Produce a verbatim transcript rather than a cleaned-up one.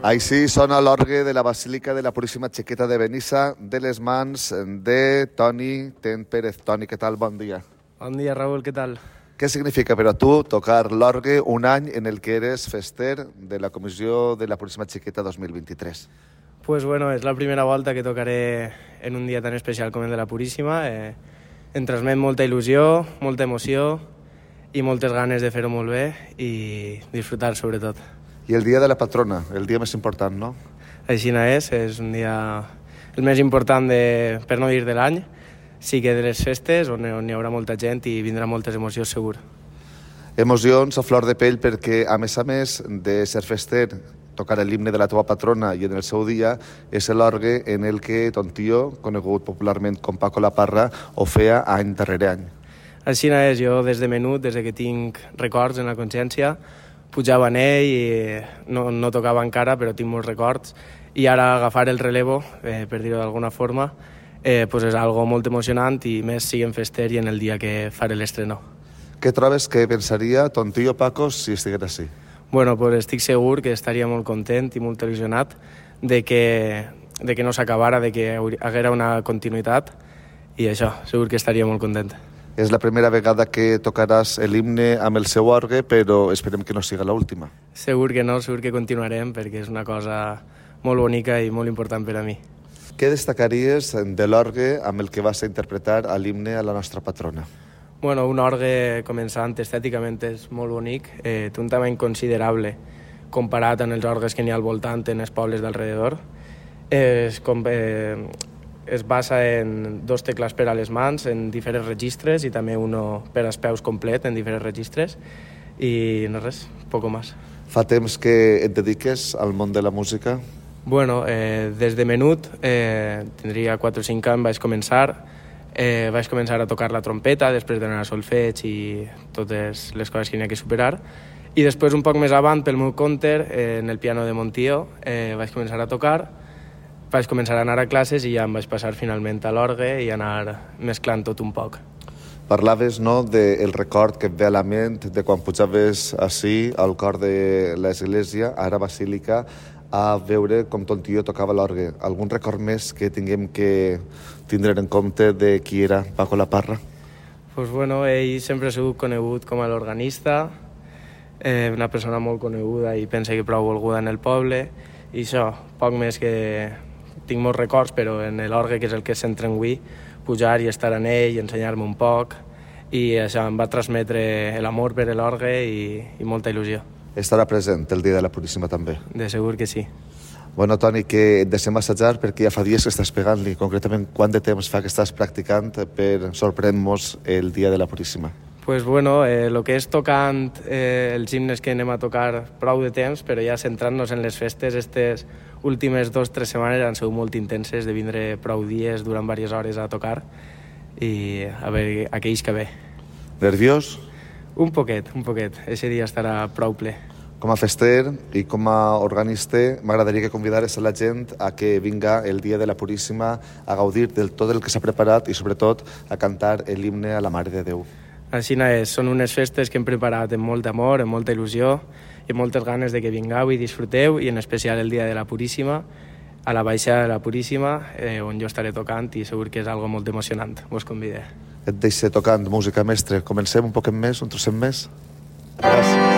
Així sona l'orgue de la Basílica de la Puríssima Xiqueta de Benissa, de les mans de Toni Ten Pérez. Toni, què tal? Bon dia. Bon dia, Raúl, què tal? Què significa per a tu tocar l'orgue un any en el que eres fester de la Comissió de la Puríssima Xiqueta dos mil vint-i-tres? Pues bueno, és la primera volta que tocaré en un dia tan especial com el de la Puríssima. Eh, em transmet molta il·lusió, molta emoció i moltes ganes de fer-ho molt bé i disfrutar, sobretot. I el dia de la patrona, el dia més important, no? Així no és, és un dia el més important, de, per no dir de l'any. Sí que de les festes, on, on hi haurà molta gent i vindrà moltes emocions, segur. Emocions a flor de pell perquè, a més a més de ser fester, tocar l'himne de la teva patrona i en el seu dia és l'orgue en el que ton tio, conegut popularment com Paco La Parra, ho feia any darrere any. Així no és, jo des de menut, des que tinc records en la consciència, pujava en ell i no, no tocava encara, però tinc molts records. I ara agafar el relevo, eh, per dir-ho d'alguna forma, eh, pues és algo molt emocionant i més siguem fester i en el dia que faré l'estreno. Què trobes que pensaria ton tio Paco si estigués així? Bueno, pues estic segur que estaria molt content i molt il·lusionat de que, de que no s'acabara, de que haguera una continuïtat i això, segur que estaria molt content. És la primera vegada que tocaràs l'himne amb el seu orgue, però esperem que no siga l'última. Segur que no, segur que continuarem, perquè és una cosa molt bonica i molt important per a mi. Què destacaries de l'orgue amb el que vas a interpretar l'himne a la nostra patrona? Bueno, un orgue, començant, estèticament és molt bonic, eh, té un tamany considerable comparat amb els orgues que n'hi ha al voltant en els pobles d'alrededor. És com... Eh, es basa en dos tecles per a les mans, en diferents registres, i també uno per als peus complet, en diferents registres, i no res, poco más. Fa temps que et dediques al món de la música? Bueno, eh, des de menut, eh, tindria quatre o cinc anys, vaig començar, eh, vaig començar a tocar la trompeta, després d'anar a solfeig i totes les coses que n'hi ha que superar, i després, un poc més avant, pel meu compte, eh, en el piano de Montió, eh, vaig començar a tocar, vaig començar a anar a classes i ja em vaig passar finalment a l'orgue i anar mesclant tot un poc. Parlaves, no, del record que et ve a la ment de quan pujaves així al cor de l'església, ara Basílica, a veure com ton tio tocava l'orgue. Algun record més que tinguem que tindre en compte de qui era Paco La Parra? Pues bueno, ell sempre ha sigut conegut com a l'organista, eh, una persona molt coneguda i pensa que prou volguda en el poble, i això, poc més que... Tinc molts records, però en l'orgue, que és el que es centra en avui, pujar i estar en ell, ensenyar-me un poc, i això em va transmetre l'amor per l'orgue i, i molta il·lusió. Estarà present el dia de la Puríssima també? De segur que sí. Bueno, Toni, que et deixem assajar perquè ja fa dies que estàs pegant-li. Concretament, quant de temps fa que estàs practicant per sorprendre-nos el dia de la Puríssima? Pues bueno, eh, el que és tocant eh, els himnes que anem a tocar prou de temps, però ja centrant-nos en les festes, aquestes últimes dues o tres setmanes han sigut molt intenses, de vindre prou dies durant diverses hores a tocar i a veure aquells que ve. Nerviós? Un poquet, un poquet. Eixe dia estarà prou ple. Com a fester i com a organista, m'agradaria que convidares a la gent a que vinga el dia de la Puríssima a gaudir del tot el que s'ha preparat i sobretot a cantar l'himne a la Mare de Déu. Així no és, són unes festes que hem preparat amb molt amor, amb molta il·lusió i amb moltes ganes de que vingueu i disfruteu, i en especial el dia de la Puríssima, a la baixada de la Puríssima, eh, on jo estaré tocant i segur que és algo molt emocionant. Vos convidé. Et deixo tocant música, mestre. Comencem un poquet més, un trosset més. Gràcies.